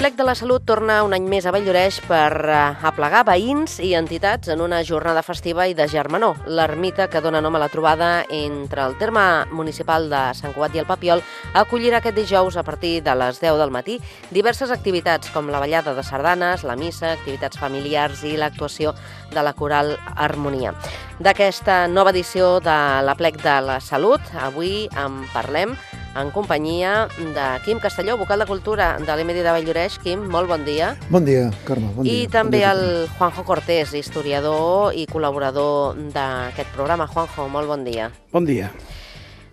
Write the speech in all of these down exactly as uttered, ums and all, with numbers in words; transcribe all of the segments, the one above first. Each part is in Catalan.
Plec de la Salut torna un any més a Valldoreix per aplegar veïns i entitats en una jornada festiva i de germanor. L'ermita, que dona nom a la trobada entre el terme municipal de Sant Cugat i el Papiol, acollirà aquest dijous a partir de les deu del matí diverses activitats com la ballada de sardanes, la missa, activitats familiars i l'actuació de la coral Harmonia. D'aquesta nova edició de la Plec de la Salut, avui en parlem en companyia de Quim Castelló, vocal de Cultura de l'E M D de Valldoreix. Quim, molt bon dia. Bon dia, Carme. Bon I dia. també bon dia. el Juanjo Cortés, historiador i col·laborador d'aquest programa. Juanjo, molt bon dia. Bon dia.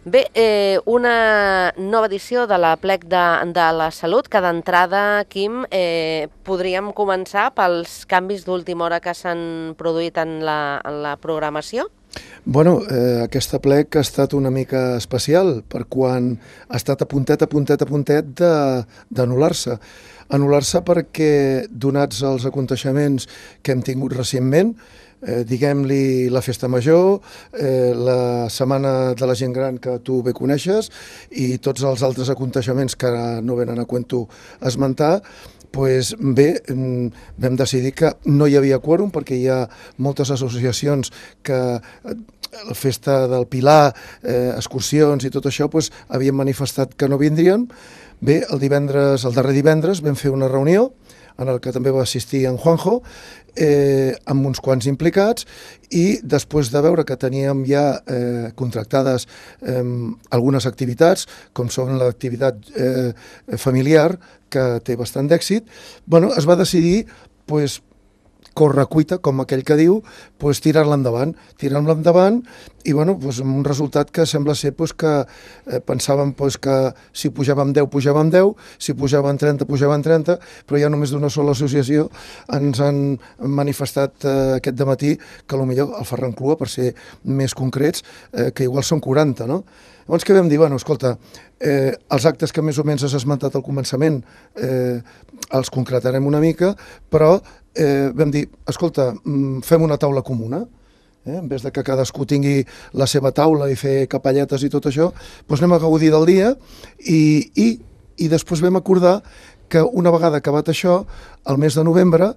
Bé, eh, una nova edició de la Plec de, de la Salut, que d'entrada, Quim, eh, podríem començar pels canvis d'última hora que s'han produït en la, en la programació? Bueno, eh, aquesta plec ha estat una mica especial per quan ha estat a puntet, a puntet, a puntet d'anul·lar-se. Anul·lar-se perquè, donats els aconteixements que hem tingut recentment, eh, diguem-li la Festa Major, eh, la Setmana de la Gent Gran que tu bé coneixes i tots els altres aconteixements que ara no venen a cuento esmentar, pues bé, vam decidir que no hi havia quòrum perquè hi ha moltes associacions que la Festa del Pilar, eh, excursions i tot això, pues, havien manifestat que no vindrien. Bé, el divendres, el darrer divendres vam fer una reunió en el que també va assistir en Juanjo, eh, amb uns quants implicats, i després de veure que teníem ja eh, contractades eh, algunes activitats, com són l'activitat eh, familiar, que té bastant d'èxit, bueno, es va decidir pues, correcuita, com aquell que diu, pues, tirar-la endavant, tirar-la endavant i bueno, pues, amb un resultat que sembla ser pues, que eh, pensàvem pues, que si pujàvem deu, pujàvem deu, si pujàvem trenta, pujàvem trenta, però ja només d'una sola associació ens han manifestat eh, aquest dematí que potser el Ferran Clua, per ser més concrets, eh, que igual són quaranta, no? Llavors què vam dir? Bueno, escolta, eh, els actes que més o menys has esmentat al començament eh, els concretarem una mica, però eh, vam dir, escolta, fem una taula comuna, eh? En vez de que cadascú tingui la seva taula i fer capelletes i tot això, doncs anem a gaudir del dia i, i, i després vam acordar que una vegada acabat això, al mes de novembre,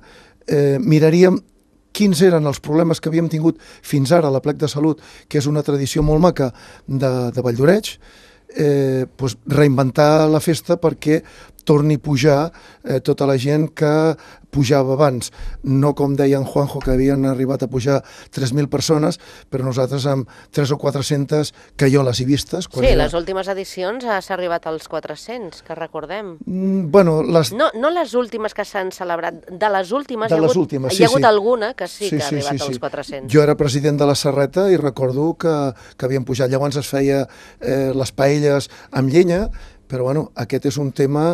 eh, miraríem quins eren els problemes que havíem tingut fins ara a la Plec de Salut, que és una tradició molt maca de, de Valldoreix, eh, doncs reinventar la festa perquè torni a pujar eh, tota la gent que pujava abans. No com deia en Juanjo, que havien arribat a pujar tres mil persones, però nosaltres amb tres o quatre-centes que jo les he vistes. Sí, era... les últimes edicions s'ha arribat als quatre-cents, que recordem. Mm, bueno, les... No, no les últimes que s'han celebrat, de les últimes, de hi ha les hagut, últimes, hi ha sí, hagut sí. alguna que sí, sí que ha sí, arribat sí, als sí. quatre-cents. Jo era president de la Serreta i recordo que, que havien pujat. Llavors es feia eh, les paelles amb llenya, però bueno, aquest és un tema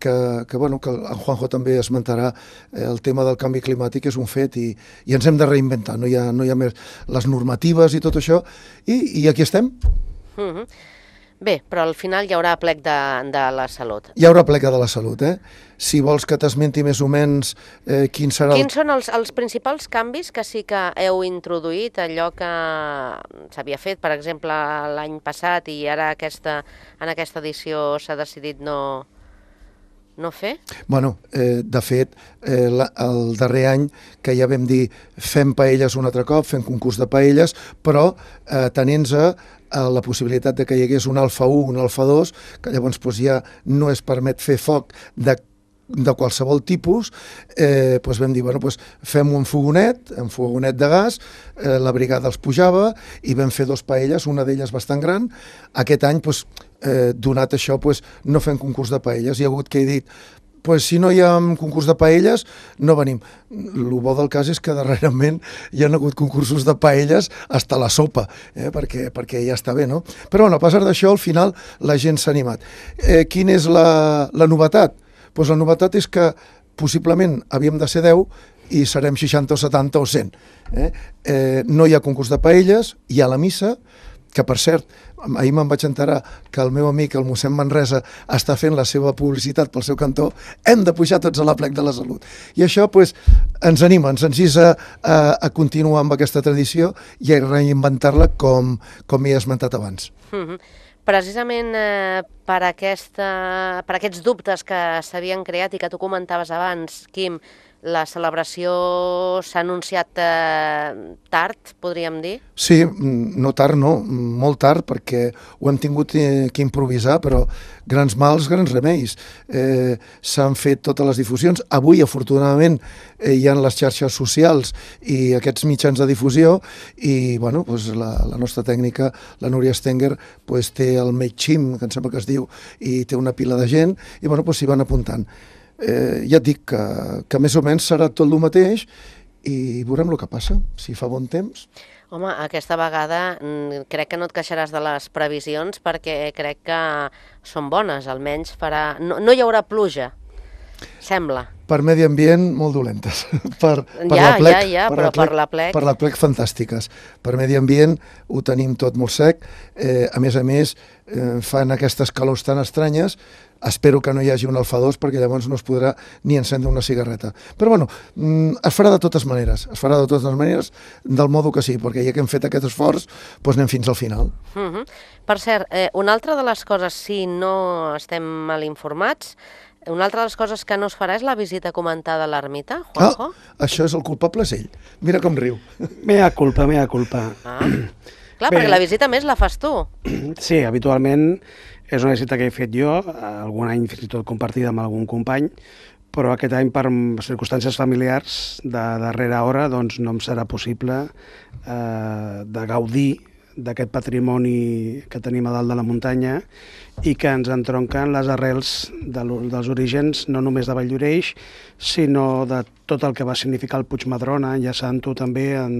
que, que, bueno, que en Juanjo també esmentarà. Eh, el tema del canvi climàtic és un fet i, i ens hem de reinventar, no hi ha, no hi ha més les normatives i tot això, i, i aquí estem. Mm-hmm. Bé, però al final hi haurà Plec de, de la Salut. Hi haurà Plec de la Salut, eh? Si vols que t'esmenti més o menys eh, quin serà... Quins el... són els, els principals canvis que sí que heu introduït, allò que s'havia fet, per exemple, l'any passat i ara aquesta, en aquesta edició s'ha decidit no... no fer? Bueno, eh, de fet, eh, la, el darrer any que ja vam dir fem paelles un altre cop, fem concurs de paelles, però eh, tenint-se a la possibilitat de que hi hagués un alfa u, un alfa dos, que llavors doncs, ja no es permet fer foc de de qualsevol tipus, eh, doncs vam dir, bueno, doncs fem un fogonet, un fogonet de gas, eh, la brigada els pujava i vam fer dos paelles, una d'elles bastant gran. Aquest any, doncs, eh, donat això, doncs, no fem concurs de paelles. Hi ha hagut que he dit, pues, si no hi ha concurs de paelles, no venim. El bo del cas és que darrerament hi ha hagut concursos de paelles hasta la sopa, eh, perquè, perquè ja està bé, no? Però bueno, a pesar d'això, al final la gent s'ha animat. Eh, quina és la, la novetat? Pues la novetat és que possiblement havíem de ser deu i serem seixanta o setanta o cent. Eh? Eh, no hi ha concurs de paelles, hi ha la missa, que per cert, ahir me'n vaig enterar que el meu amic, el mossèn Manresa, està fent la seva publicitat pel seu cantó. Hem de pujar tots a la Plec de la Salut. I això pues, ens anima, ens encisa a, a continuar amb aquesta tradició i a reinventar-la com, com he esmentat abans. Mm-hmm. Precisament eh, per, aquesta, per aquests dubtes que s'havien creat i que tu comentaves abans, Quim, la celebració s'ha anunciat eh, tard, podríem dir? Sí, no tard, no, molt tard, perquè ho hem tingut que improvisar, però grans mals, grans remeis. Eh, S'han fet totes les difusions. Avui, afortunadament, eh, hi ha les xarxes socials i aquests mitjans de difusió i, bueno, doncs la, la nostra tècnica, la Núria Stenger, doncs té el MailChimp, que em sembla que es diu, i té una pila de gent, i, bueno, doncs s'hi van apuntant. Eh, ja et dic que, que més o menys serà tot el mateix i veurem el que passa, si fa bon temps. Home, aquesta vegada crec que no et queixaràs de les previsions perquè crec que són bones, almenys farà... No, no hi haurà pluja, sembla. Per medi ambient, molt dolentes. per, per ja, la plec, ja, ja, per però la plec, per la plec... Per la plec, fantàstiques. Per medi ambient ho tenim tot molt sec. Eh, a més a més, eh, fan aquestes calors tan estranyes. Espero que no hi hagi un alfa dos perquè llavors no es podrà ni encendre una cigarreta. Però bueno, es farà de totes maneres, es farà de totes maneres del modo que sí, perquè ja que hem fet aquest esforç, doncs anem fins al final. Uh-huh. Per cert, eh, una altra de les coses, si no estem mal informats, una altra de les coses que no es farà és la visita comentada a l'ermita, Juanjo? Ah, això és el culpable, és ell. Mira com riu. Mea culpa, mea culpa. Ah. Clar, Bé, perquè la visita més la fas tu. Sí, habitualment és una visita que he fet jo, algun any fins i tot compartida amb algun company, però aquest any per circumstàncies familiars de darrera hora doncs no em serà possible eh, de gaudir d'aquest patrimoni que tenim a dalt de la muntanya i que ens entronquen les arrels de, dels orígens no només de Valldoreix, sinó de tot el que va significar el Puigmadrona, enllaçant-ho també en,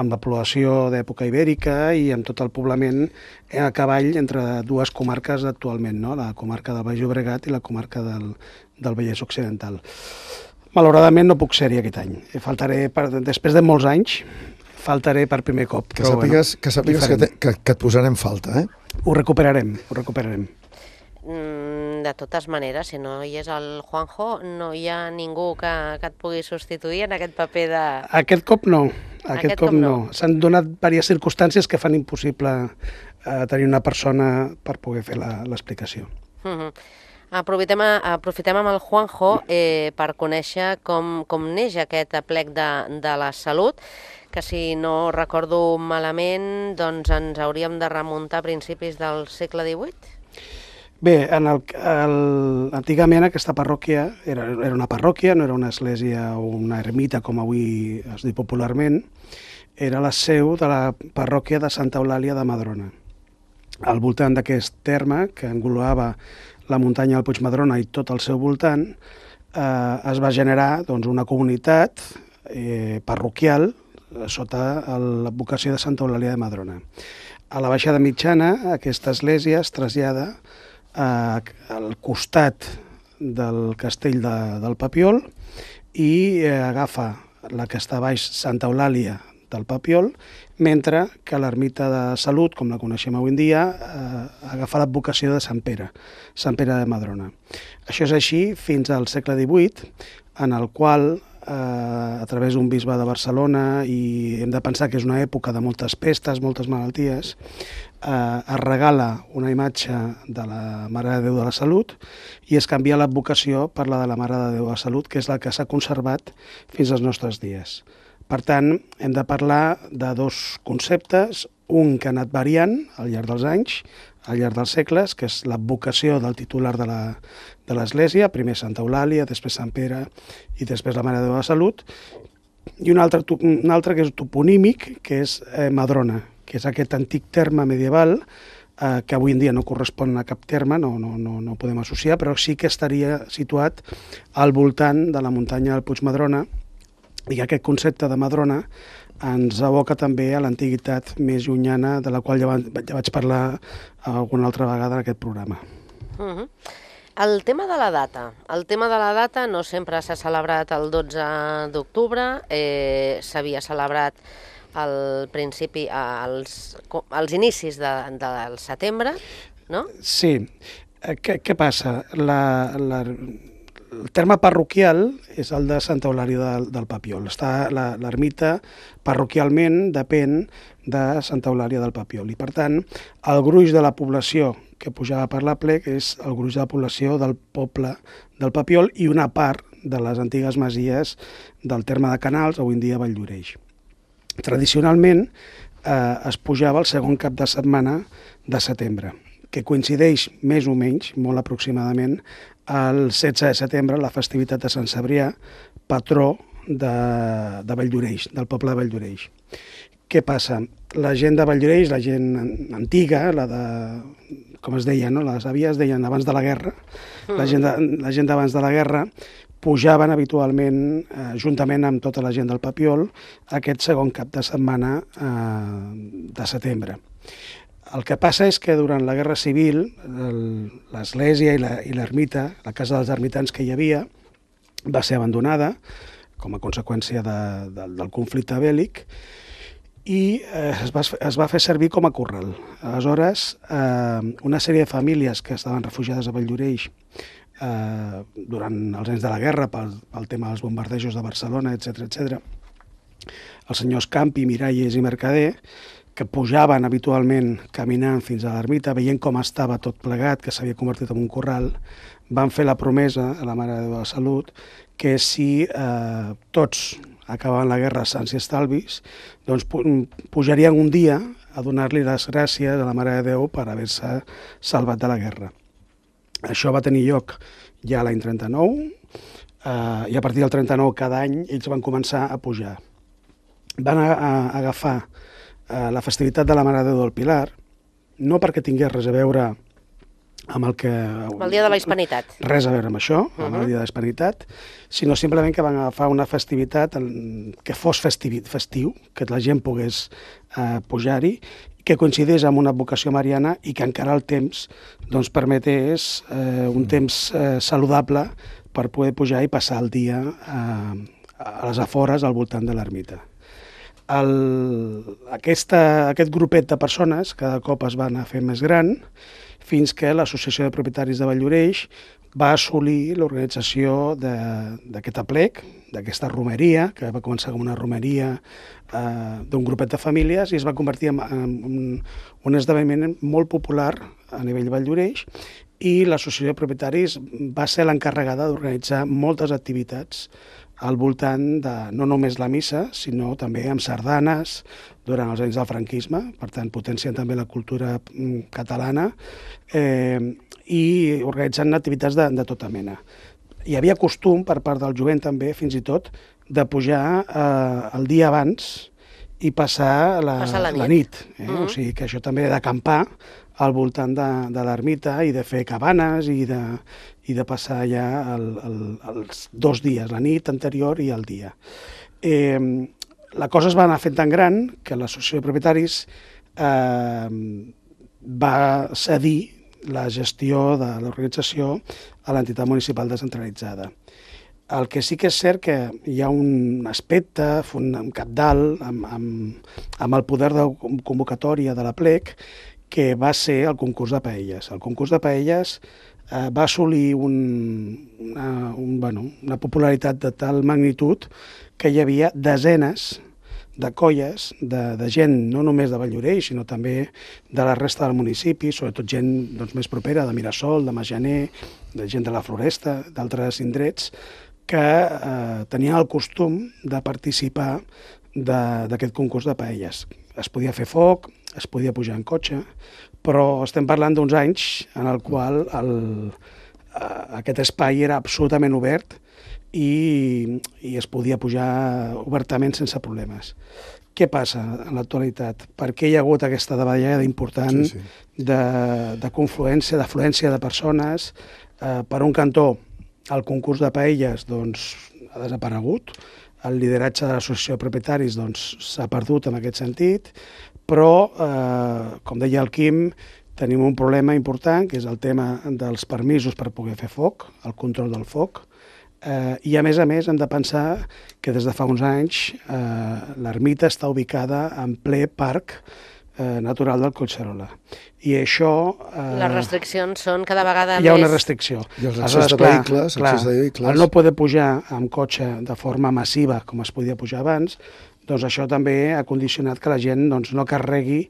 amb la població d'època ibèrica i amb tot el poblament a cavall entre dues comarques actualment, no? La comarca del Baix Llobregat i la comarca del, del Vallès Occidental. Malauradament no puc ser-hi aquest any. Faltaré, per, després de molts anys, faltaré per primer cop. Que sàpigues, bueno, que, sàpigues que, te, que, que et posarem falta, eh? Ho recuperarem, ho recuperarem. Mm, de totes maneres, si no hi és el Juanjo, no hi ha ningú que, que et pugui substituir en aquest paper de... Aquest cop no, aquest, aquest cop, cop no. no. S'han donat diverses circumstàncies que fan impossible eh, tenir una persona per poder fer l'explicació. Mm-hmm. Aprofitem, aprofitem amb el Juanjo eh, per conèixer com, com neix aquest aplec de, de la salut, que si no recordo malament, doncs ens hauríem de remuntar a principis del segle divuit? Bé, en el, el, antigament aquesta parròquia era, era una parròquia, no era una església o una ermita com avui es diu popularment, era la seu de la parròquia de Santa Eulàlia de Madrona. Al voltant d'aquest terme, que engloava la muntanya del Puigmadrona i tot el seu voltant, eh, es va generar doncs, una comunitat eh, parroquial sota l'advocació de Santa Eulàlia de Madrona. A la baixada mitjana, aquesta església es trasllada eh, al costat del castell de, del Papiol i eh, agafa la que està a baix Santa Eulàlia del Papiol, mentre que l'ermita de Salut, com la coneixem avui en dia, eh, agafa l'advocació de Sant Pere, Sant Pere de Madrona. Això és així fins al segle divuit, en el qual, eh, a través d'un bisbe de Barcelona, i hem de pensar que és una època de moltes pestes, moltes malalties, eh, es regala una imatge de la Mare de Déu de la Salut i es canvia l'advocació per la de la Mare de Déu de la Salut, que és la que s'ha conservat fins als nostres dies. Per tant, hem de parlar de dos conceptes, un que ha anat variant al llarg dels anys, al llarg dels segles, que és l'advocació del titular de la, de l'Església, primer Santa Eulàlia, després Sant Pere i després la Mare de Déu de la Salut, i un altre, un altre que és toponímic, que és eh, Madrona, que és aquest antic terme medieval eh, que avui en dia no correspon a cap terme, no, no, no, no podem associar, però sí que estaria situat al voltant de la muntanya del Puigmadrona, i aquest concepte de Madrona ens aboca també a l'antiguitat més llunyana, de la qual ja, va, ja vaig parlar alguna altra vegada en aquest programa. Uh-huh. El tema de la data. El tema de la data no sempre s'ha celebrat el dotze d'octubre, eh, s'havia celebrat al principi, als, als inicis de, del setembre, no? Sí. Què, què passa? La, la, el terme parroquial és el de Santa Eulàlia del, del Papiol. L'ermita parroquialment depèn de Santa Eulàlia del Papiol i, per tant, el gruix de la població que pujava per l'aplec és el gruix de la població del poble del Papiol i una part de les antigues masies del terme de Canals, avui en dia Valldoreix. Tradicionalment eh, es pujava el segon cap de setmana de setembre, que coincideix més o menys, molt aproximadament, el setze de setembre, la festivitat de Sant Cebrià, patró de, de Valldoreix, del poble de Valldoreix. Què passa? La gent de Valldoreix, la gent antiga, la de, com es deia, no? Les àvies deien abans de la guerra, la gent de, la gent d'abans de la guerra pujaven habitualment, eh, juntament amb tota la gent del Papiol, aquest segon cap de setmana eh, de setembre. El que passa és que durant la Guerra Civil l'església i l'ermita, la casa dels ermitans que hi havia, va ser abandonada com a conseqüència de, de, del conflicte bèl·lic i eh, es, va, es va fer servir com a corral. Aleshores, eh, una sèrie de famílies que estaven refugiades a Valldoreix eh, durant els anys de la guerra pel, pel tema dels bombardejos de Barcelona, etcètera, etcètera, els senyors Campi, Miralles i Mercader, que pujaven habitualment caminant fins a l'ermita, veient com estava tot plegat, que s'havia convertit en un corral, van fer la promesa a la Mare de Déu de la Salut que si eh, tots acabaven la guerra sants i estalvis, doncs pujarien un dia a donar-li les gràcies a la Mare de Déu per haver-se salvat de la guerra. Això va tenir lloc ja l'any trenta-nou, eh, i a partir del trenta-nou cada any ells van començar a pujar. Van a, a agafar la festivitat de la Mare de Déu del Pilar, no perquè tingués res a veure amb el que... El dia de la Hispanitat. Res a veure amb això, amb uh -huh. el dia de la Hispanitat, sinó simplement que van agafar una festivitat que fos festiu, que la gent pogués eh, pujar-hi, que coincidís amb una vocació mariana i que encara el temps doncs, permetés eh, un temps eh, saludable per poder pujar i passar el dia eh, a les afores al voltant de l'ermita. El, aquesta, aquest grupet de persones cada cop es va anar fent més gran fins que l'Associació de Propietaris de Valldoreix va assolir l'organització d'aquest aplec, d'aquesta romeria, que va començar com una romeria eh, d'un grupet de famílies i es va convertir en, en un, un esdeveniment molt popular a nivell Valldoreix i l'Associació de Propietaris va ser l'encarregada d'organitzar moltes activitats al voltant de no només la missa, sinó també amb sardanes durant els anys del franquisme, per tant potenciant també la cultura catalana eh, i organitzant activitats de, de tota mena. Hi havia costum per part del jovent també, fins i tot, de pujar eh, el dia abans i passar la, passar la nit. La nit eh? Mm-hmm. O sigui que això també d'acampar al voltant de, de l'ermita i de fer cabanes i de, i de passar ja el, el, els dos dies, la nit anterior i el dia. Eh, la cosa es va anar fent tan gran que l'Associació de Propietaris eh, va cedir la gestió de l'organització a l'entitat municipal descentralitzada. El que sí que és cert que hi ha un aspecte un cabdal amb, amb, amb el poder de convocatòria de l'aplec que va ser el concurs de paelles. El concurs de paelles eh, va assolir un, una, un, bueno, una popularitat de tal magnitud que hi havia desenes de colles de, de gent, no només de Valldoreix, sinó també de la resta del municipi, sobretot gent doncs, més propera, de Mirasol, de Majaner, de gent de la Floresta, d'altres indrets, que eh, tenien el costum de participar d'aquest concurs de paelles. Es podia fer foc, es podia pujar en cotxe, però estem parlant d'uns anys en el qual el, eh, aquest espai era absolutament obert i, i es podia pujar obertament sense problemes. Què passa en l'actualitat? Per què hi ha hagut aquesta davallada important sí, sí. de, de confluència, d'afluència de persones? Eh, per un cantó, el concurs de paelles doncs, ha desaparegut, el lideratge de l'associació de propietaris doncs, s'ha perdut en aquest sentit, però, eh, com deia el Quim, tenim un problema important, que és el tema dels permisos per poder fer foc, el control del foc, eh, i a més a més hem de pensar que des de fa uns anys eh, l'ermita està ubicada en ple parc eh, natural del Collserola. I això... Eh, Les restriccions són cada vegada més... Hi ha més... una restricció. I els accés de vehicles, clar, accés de vehicles... El no poder pujar amb cotxe de forma massiva, com es podia pujar abans, doncs això també ha condicionat que la gent doncs, no carregui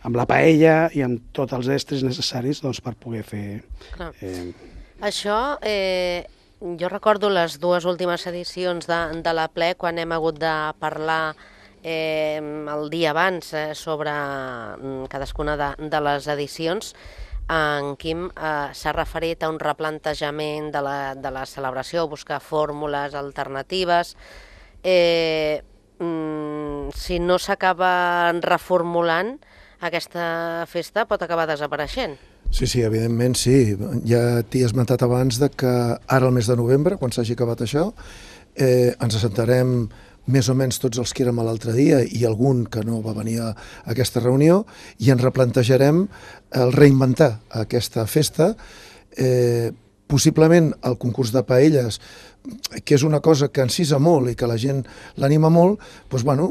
amb la paella i amb tots els estris necessaris doncs, per poder fer... Eh... Això, eh, jo recordo les dues últimes edicions de, de la ple, quan hem hagut de parlar eh, el dia abans eh, sobre cadascuna de, de les edicions. En Quim eh, s'ha referit a un replantejament de la, de la celebració, buscar fórmules alternatives. Eh, mm, si no s'acaba reformulant, aquesta festa pot acabar desapareixent. Sí, sí, evidentment sí. Ja t'hi he esmentat abans de que ara al mes de novembre, quan s'hagi acabat això, eh, ens assentarem més o menys tots els que érem l'altre dia i algun que no va venir a aquesta reunió i ens replantejarem el reinventar aquesta festa, eh, possiblement el concurs de paelles, que és una cosa que encisa molt i que la gent l'anima molt, doncs, bueno,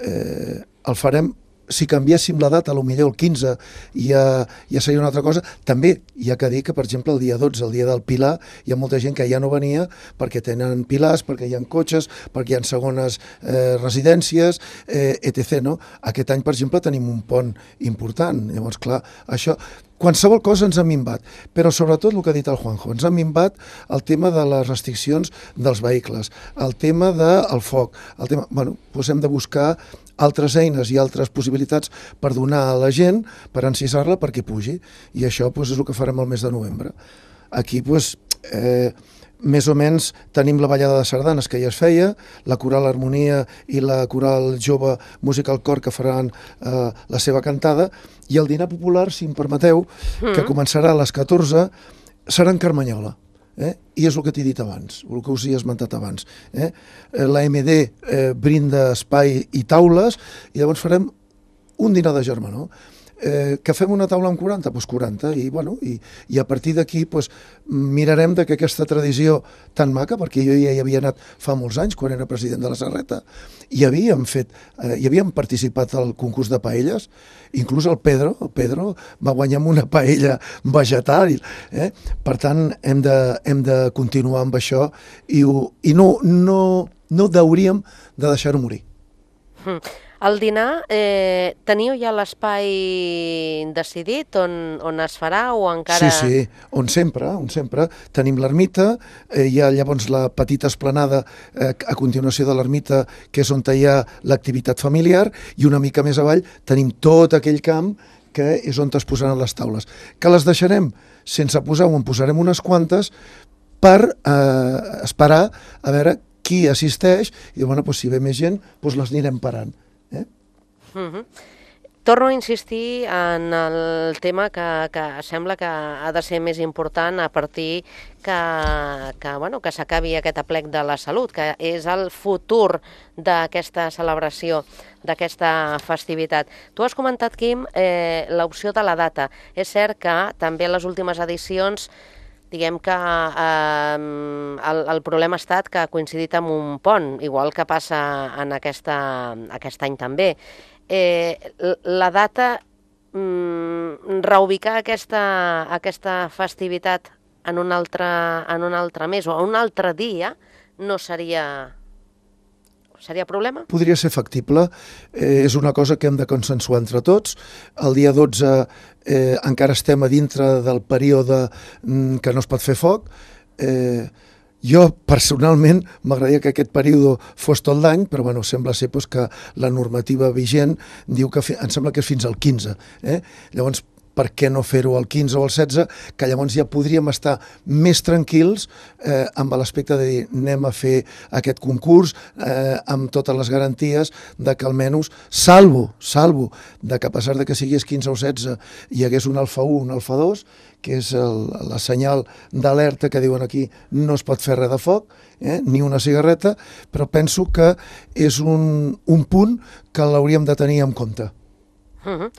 eh, el farem. Si canviéssim la data, potser el quinze, ja, ja seria una altra cosa. També hi ha que dir que, per exemple, el dia dotze, el dia del Pilar, hi ha molta gent que ja no venia perquè tenen pilars, perquè hi ha cotxes, perquè hi ha segones eh, residències, eh, etcètera. No? Aquest any, per exemple, tenim un pont important. Llavors, clar, això... Qualsevol cosa ens ha minvat, però sobretot el que ha dit el Juanjo, ens ha minvat el tema de les restriccions dels vehicles, el tema del foc, el tema... Bueno, doncs hem de buscar altres eines i altres possibilitats per donar a la gent, per encisar-la perquè pugi, i això doncs, és el que farem el mes de novembre. Aquí, doncs, eh, més o menys tenim la ballada de sardanes que ja es feia, la coral Harmonia i la coral jove Musical Cor que faran eh, la seva cantada, i el dinar popular, si em permeteu, mm. que començarà a les catorze, serà en Carmanyola. Eh? I és el que t'he dit abans, el que us he esmentat abans. Eh? La M D eh, brinda espai i taules, i llavors farem un dinar de germanor. Eh, que fem una taula amb quaranta? Doncs quaranta, i, bueno, i, i a partir d'aquí pues, mirarem de que aquesta tradició tan maca, perquè jo ja hi havia anat fa molts anys, quan era president de la Serreta, i havíem fet, eh, hi havíem participat al concurs de paelles, inclús el Pedro, el Pedro va guanyar amb una paella vegetal, eh? Per tant, hem de, hem de continuar amb això, i, ho, i no, no, no hauríem de deixar-ho morir. Mm. El dinar, eh, teniu ja l'espai decidit on, on es farà o encara... Sí, sí, on sempre, on sempre. Tenim l'ermita, eh, hi ha llavors la petita esplanada eh, a continuació de l'ermita, que és on hi ha l'activitat familiar, i una mica més avall tenim tot aquell camp que és on es posaran les taules. Que les deixarem sense posar, o en posarem unes quantes, per eh, esperar a veure qui assisteix, i bueno, doncs, si ve més gent, doncs les anirem parant. Eh? Uh-huh. Torno a insistir en el tema que, que sembla que ha de ser més important a partir que, que, bueno, que s'acabi aquest aplec de la salut, que és el futur d'aquesta celebració, d'aquesta festivitat. Tu has comentat, Quim, eh, l'opció de la data. És cert que també en les últimes edicions diguem que eh, el, el problema ha estat que ha coincidit amb un pont, igual que passa en aquesta, aquest any també. Eh, la data, mm, reubicar aquesta, aquesta festivitat en un, altre, en un altre mes o en un altre dia no seria... Seria problema? Podria ser factible. Eh, és una cosa que hem de consensuar entre tots. El dia dotze eh, encara estem a dintre del període mm, que no es pot fer foc. Eh, jo, personalment, m'agradaria que aquest període fos tot l'any, però bueno, sembla ser pues, que la normativa vigent diu que fi, em sembla que és fins al quinze. Eh? Llavors, per què no fer-ho al quinze o al setze, que llavors ja podríem estar més tranquils eh, amb l'aspecte de dir anem a fer aquest concurs eh, amb totes les garanties de que almenys, salvo, salvo, de que a pesar de que sigués quinze o setze hi hagués un alfa u, un alfa dos, que és el, la senyal d'alerta que diuen aquí no es pot fer res de foc, eh, ni una cigarreta, però penso que és un, un punt que l'hauríem de tenir en compte. Uh-huh.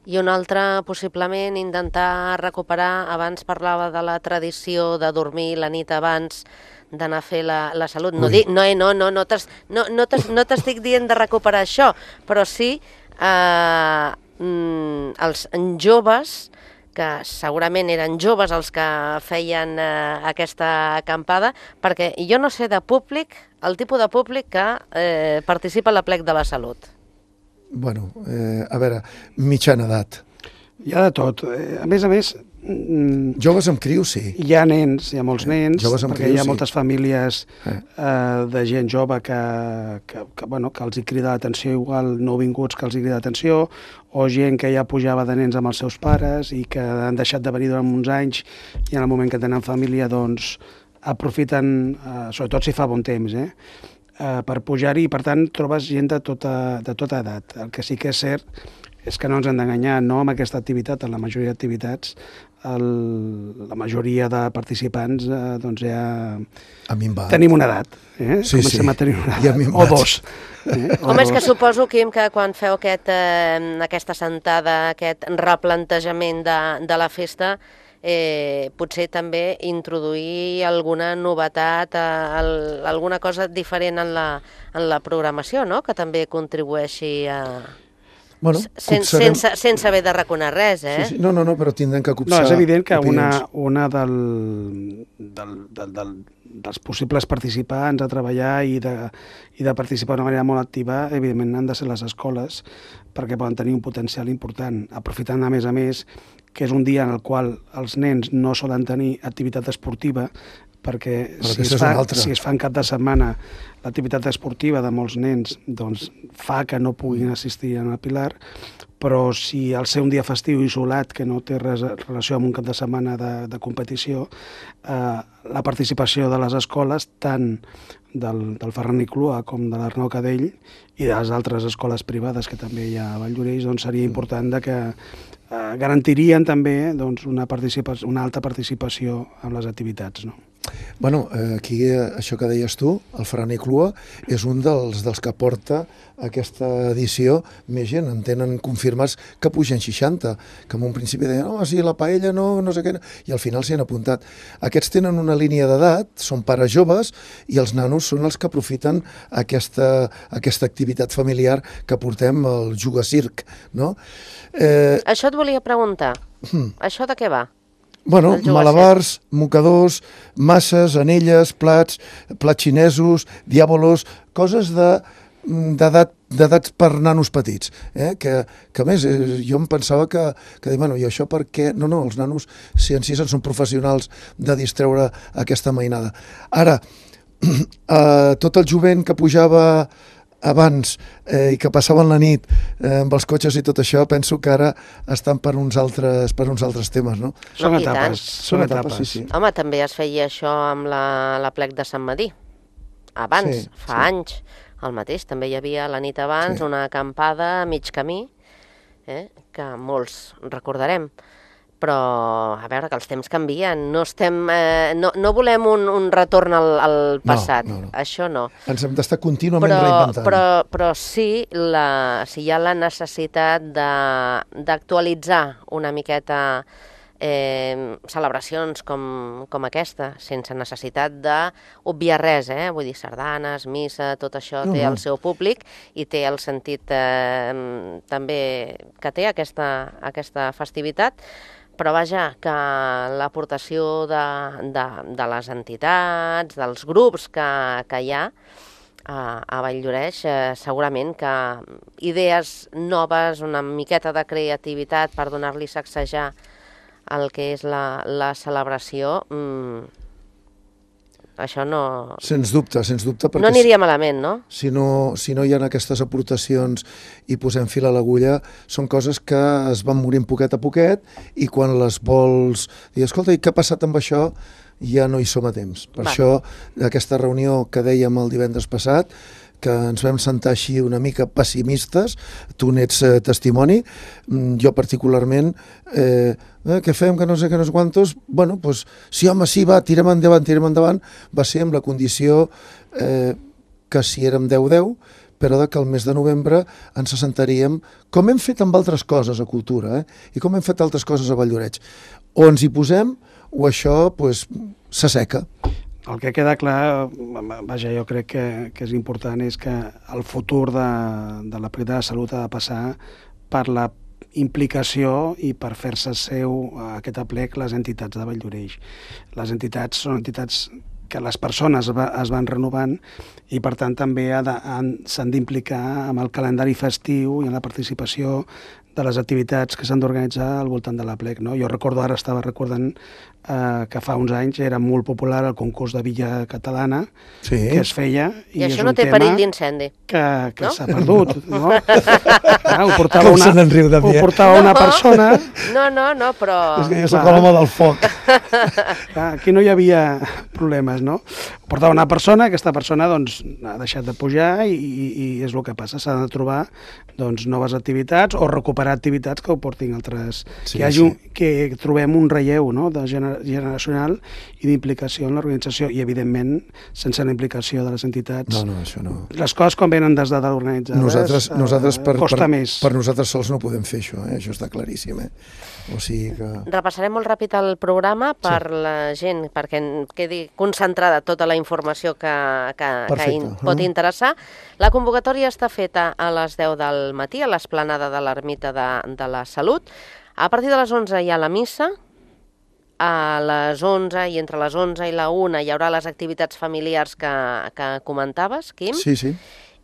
I un altre, possiblement, intentar recuperar, abans parlava de la tradició de dormir la nit abans d'anar a fer la, la salut. No, di, no, no, no, no t'estic no, no no dient de recuperar això, però sí eh, mm, els joves, que segurament eren joves els que feien eh, aquesta acampada, perquè jo no sé de públic, el tipus de públic que eh, participa a l'Aplec de la Salut. Bueno, eh, a veure, mitjana edat. Hi ha de tot. A més a més... Joves amb crios, sí. Hi ha nens, hi ha molts nens, perquè crios, hi ha moltes sí. famílies eh. Eh, de gent jove que, que, que, bueno, que els hi crida l'atenció, igual nouvinguts que els hi crida l'atenció, o gent que ja pujava de nens amb els seus pares i que han deixat de venir durant uns anys i en el moment que tenen família, doncs, aprofiten, eh, sobretot si fa bon temps, eh, eh, per pujar-hi, i per tant trobes gent de tota, de tota edat. El que sí que és cert és que no ens hem d'enganyar, no amb aquesta activitat, en la majoria d'activitats, el, la majoria de participants eh, doncs ja tenim una edat. Eh? Sí, Comencem sí. a tenir una edat, o dos. Eh? O Home, és que suposo, Quim, que quan feu aquest, eh, aquesta sentada, aquest replantejament de, de la festa, eh, potser també introduir alguna novetat, eh, el, alguna cosa diferent en la, en la programació, no?, que també contribueixi a... Bueno, Sen, copsarem... sense, sense haver de reconar res, eh? Sí, sí. No, no, no, però tindrem que copsar. No, és evident que una, opinions. una del, del, del, del, dels possibles participants a treballar i de, i de participar d'una manera molt activa, evidentment han de ser les escoles, perquè poden tenir un potencial important, aprofitant a més a més que és un dia en el qual els nens no solen tenir activitat esportiva, perquè si es, fa, si es fa en cap de setmana l'activitat esportiva de molts nens doncs fa que no puguin assistir a la Pilar, però si al ser un dia festiu isolat que no té res relació amb un cap de setmana de, de competició, eh, la participació de les escoles, tant del, del Ferran i Clua com de l'Arnau Cadell i de les altres escoles privades que també hi ha a Valldoreix, doncs seria important de que eh, garantirien també doncs, una, participació, una alta participació en les activitats, no? Bueno, aquí això que deies tu, el Ferran i Clua, és un dels, dels que porta aquesta edició més gent. En tenen confirmats que pugen seixanta, que en un principi deien, no, sí, la paella no, no sé què, i al final s'hi han apuntat. Aquests tenen una línia d'edat, són pares joves, i els nanos són els que aprofiten aquesta, aquesta activitat familiar que portem, el Jugacirc, no? Eh... Això et volia preguntar. Hmm. Això de què va? Bueno, malabars, mocadors, masses, anelles, plats, plats xinesos, diàbolos, coses de d'edat d'edats per nanos petits, eh? que, que a més eh, jo em pensava que, que bueno, i això per què? No, no, els nanos si en si són professionals de distreure aquesta mainada. Ara, eh, tot el jovent que pujava abans eh, i que passaven la nit eh, amb els cotxes i tot això, penso que ara estan per uns altres, per uns altres temes, no? Són no, etapes. Són etapes, sí, sí. Home, també es feia això amb la, la plec de Sant Madí. Abans, sí, fa sí. anys, el mateix. També hi havia la nit abans sí. una acampada a mig camí, eh, que molts recordarem. Però, a veure, que els temps canvien. No, estem, eh, no, no volem un, un retorn al, al passat. No, no, no. Això no. Ens hem d'estar contínuament però, reinventant. Però, però sí, la, si hi ha la necessitat d'actualitzar una miqueta eh, celebracions com, com aquesta, sense necessitat d'obviar res, eh? Vull dir, sardanes, missa, tot això no, té no. el seu públic i té el sentit eh, també que té aquesta, aquesta festivitat. Però vaja, que l'aportació de, de, de les entitats, dels grups que, que hi ha a, a Valldoreix, eh, segurament que idees noves, una miqueta de creativitat per donar-li sacsejar el que és la, la celebració, mmm, això no... Sens dubte, sens dubte. No aniria malament, no? Si no, si no hi ha aquestes aportacions i posem fil a l'agulla, són coses que es van morint poquet a poquet i quan les vols dir, escolta, i què ha passat amb això? Ja no hi som a temps. Per Va. això, aquesta reunió que dèiem el divendres passat, que ens vam sentar així una mica pessimistes, tu n'ets eh, testimoni, jo particularment, eh, eh, què fem, que no sé què, no sé quantos, bueno, doncs, sí, home, sí, va, tirem endavant, tirem endavant, va ser amb la condició eh, que si érem deu deu, però de que el mes de novembre ens assentaríem, com hem fet amb altres coses a Cultura, eh, i com hem fet altres coses a Valldoreix. O ens hi posem, o això, doncs, s'asseca. El que queda clar, vaja, jo crec que, que és important, és que el futur de, de la Plec de la Salut ha de passar per la implicació i per fer-se seu a aquest aplec les entitats de Valldoreix. Les entitats són entitats que les persones va, es van renovant i, per tant, també s'han d'implicar amb el calendari festiu i en la participació de les activitats que s'han d'organitzar al voltant de l'aplec. No? Jo recordo, ara estava recordant eh, que fa uns anys era molt popular el concurs de Villa Catalana sí. que es feia. I, I això no té perill d'incendi. Que, que no? s'ha perdut. No? Ah, ho portava, Com una, se n'enriu de mi, ho eh? portava no, una persona... No, no, no, però... És que jo soc l'home del foc. Aquí no hi havia problemes, no? Ho portava una persona, aquesta persona doncs, ha deixat de pujar i, i, i és el que passa. S'ha de trobar doncs, noves activitats o recuperar activitats que ho portin altres... Sí, que, hagi un, sí. que trobem un relleu, no? De gener, generacional i d'implicació en l'organització i, evidentment, sense la implicació de les entitats. No, no, això no. Les coses, quan venen des de organitzades, nosaltres, nosaltres per, eh, costa per, més. Per nosaltres sols no podem fer això, eh? Això està claríssim. Eh? O sigui que... Repassarem molt ràpid el programa per sí. la gent, perquè quedi concentrada tota la informació que, que, que in, pot interessar. La convocatòria està feta a les deu del matí a l'esplanada de l'Ermita de, de la Salut. A partir de les onze hi ha la missa. A les onze i entre les onze i la una hi haurà les activitats familiars que, que comentaves, Quim. Sí, sí.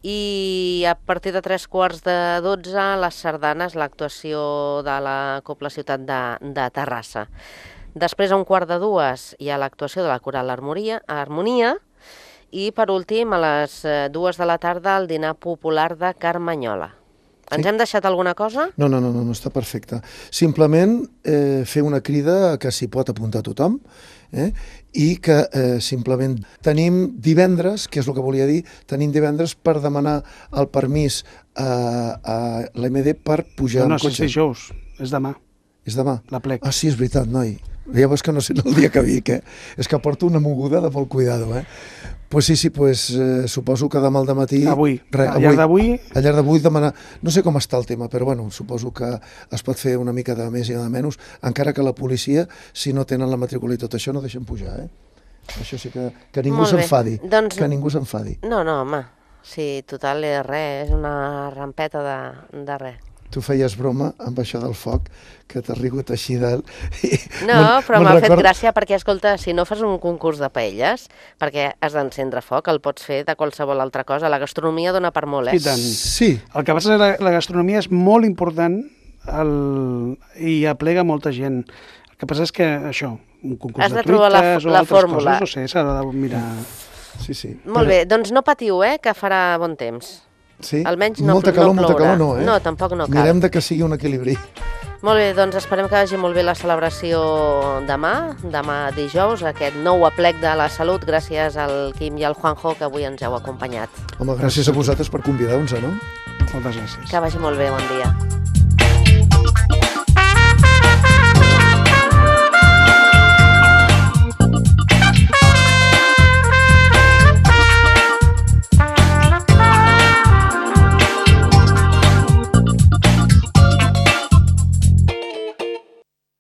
I a partir de tres quarts de dotze, les sardanes, l'actuació de la Cobla Ciutat de, de Terrassa. Després, a un quart de dues, hi ha l'actuació de la Coral Harmonia, Harmonia i, per últim, a les dues de la tarda, el dinar popular de Carmanyola. Ens sí. hem deixat alguna cosa? No, no, no, no, no està perfecte. Simplement eh, fer una crida que s'hi pot apuntar tothom, eh? I que eh, simplement tenim divendres, que és el que volia dir, tenim divendres per demanar el permís a, a l'M D per pujar no, no, en cotxe. No, no, és dijous, és demà. És demà? L'aplec. Ah, sí, és veritat, noi. Ja veus que no sé el dia que vic, eh? És que porto una moguda de molt cuidado, eh? Pues sí, sí, pues eh, suposo que demà al dematí... Avui, re, al llarg d'avui... Al llarg d'avui demanar... No sé com està el tema, però bueno, suposo que es pot fer una mica de més i de menys, encara que la policia, si no tenen la matrícula i tot això, no deixen pujar, eh? Això sí que, que ningú s'enfadi. Doncs... Que ningú s'enfadi. No, no, home, sí, total és res, és una rampeta de, de res. Tu feies broma amb això del foc, que t'has rigut així del... No, però m'ha fet gràcia perquè, escolta, si no fas un concurs de paelles, perquè has d'encendre foc, el pots fer de qualsevol altra cosa. La gastronomia dona per molt, eh? I tant. Sí. El que passa és que la, la gastronomia és molt important el... i aplega molta gent. El que passa és que, això, un concurs has de, de trobar la, truites o la altres fórmula. coses, no sé, s'ha de mirar... Sí, sí. Molt però... bé, doncs no patiu, eh, que farà bon temps. Sí? Almenys no, molta calor, no molta calor no, eh? No, tampoc no cal. Mirem de que sigui un equilibri. Molt bé, doncs esperem que vagi molt bé la celebració demà, demà dijous, aquest nou aplec de la Salut, gràcies al Quim i al Juanjo, que avui ens heu acompanyat. Home, gràcies a vosaltres per convidar-nos, no? Moltes gràcies. Que vagi molt bé, bon dia.